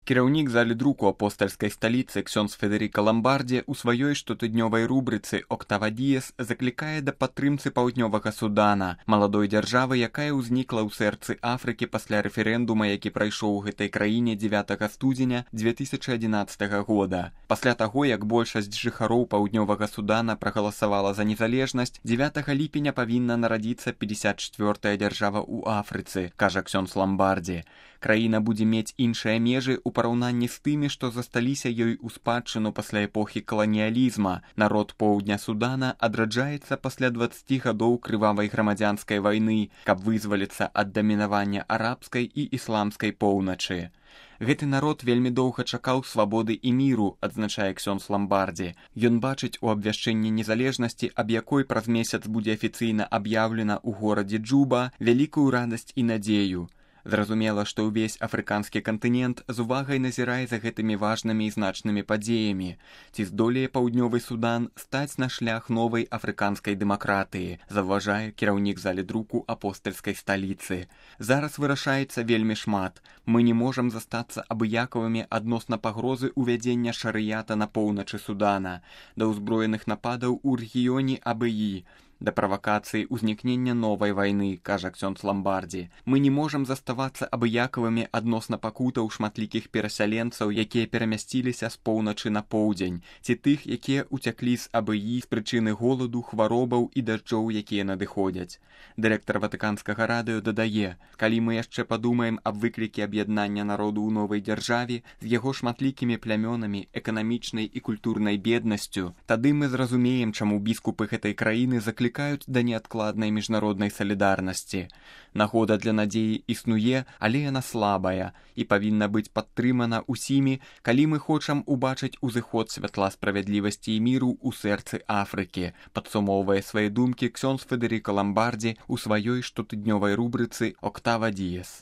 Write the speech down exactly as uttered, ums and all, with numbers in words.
Кіраўнік залі друку апостальскай сталіцы ксёндз Федэрыка Ламбардзі ў сваёй штотыднёвай рубрыцы «Октава Діес» заклікае да падтрымцы паўднёвага Судана, маладой дзяржавы, якая ўзнікла ў сэрцы Афрыкі пасля рэферэндума, які прайшоў у гэтай краіне дзевятага студзеня дзве тысячы адзінаццатага года. Пасля таго, як большасць жыхароў паўднёвага Судана прагаласавала за незалежнасць, дзевятага ліпеня павінна нарадзіцца пятьдесят чвёртая дзяржава ў Афрыцы, кажа ксёндз Ламбардзі. Краіна будзе мець іншыя межы ў параўнанні з тымі, што засталіся ёй у спадчыну пасля эпохі каланіялізма. Народ поўдня Судана адраджаецца пасля дваццаці гадоў крывавай грамадзянскай вайны, каб вызваліцца ад дамінавання арабскай і ісламскай поўначы. Гэты народ вельмі доўга чакаў свабоды і міру, адзначае ксёндз Ламбардзі. Ён бачыць у абвяшчэнні незалежнасці, аб якой праз месяц будзе афіцыйна аб'яўлена ў горадзе Джуба, вялікую радасць і надзею. Зразумела, што ўвесь афрыканскі кантынент з увагай назірае за гэтымі важнымі і значнымі падзеямі. Ці здолее паўднёвы Судан стаць на шлях новай афрыканскай дэмакратыі, заўважае кіраўнік залі друку апостальскай сталіцы. Зараз вырашаецца вельмі шмат. Мы не можам застацца абыякавымі адносна пагрозы ўвядзення шарыята на поўначы Судана, да ўзброеных нападаў у рэгіёне Абыі, да правакацыі ўзнікнення новай вайны, кажа ксёндз Ламбардзі. Мы не можам заставацца абыякавымі адносна пакутаў шматлікіх перасяленцаў, якія перамясціліся з поўначы на поўдзень, ці тых, якія ўцяклі з Абыі з прычыны голаду, хваробаў і дажджоў, якія надыходзяць. Дырэктар ватыканскага радыё дадае, калі мы яшчэ падумаем аб выклікі аб'яднання народу ў новай дзяржаве з яго шматлікімі плямёнамі, эканамічнай і культурнай беднасцю, тады мы зразумеем, чаму біскупы гэтай краіны заклікаюць да неадкладнай міжнароднай салідарнасці. Нагода для надзеі існуе, але яна слабая і павінна быць падтрымана ўсімі, калі мы хочам убачыць узыход святла справядлівасці і міру ў сэрцы Афрыкі, падсумоўвае свае думкі ксёндз Федэрыка Ламбардзі ў сваёй штотыднёвай рубрыцы «Октава Діес».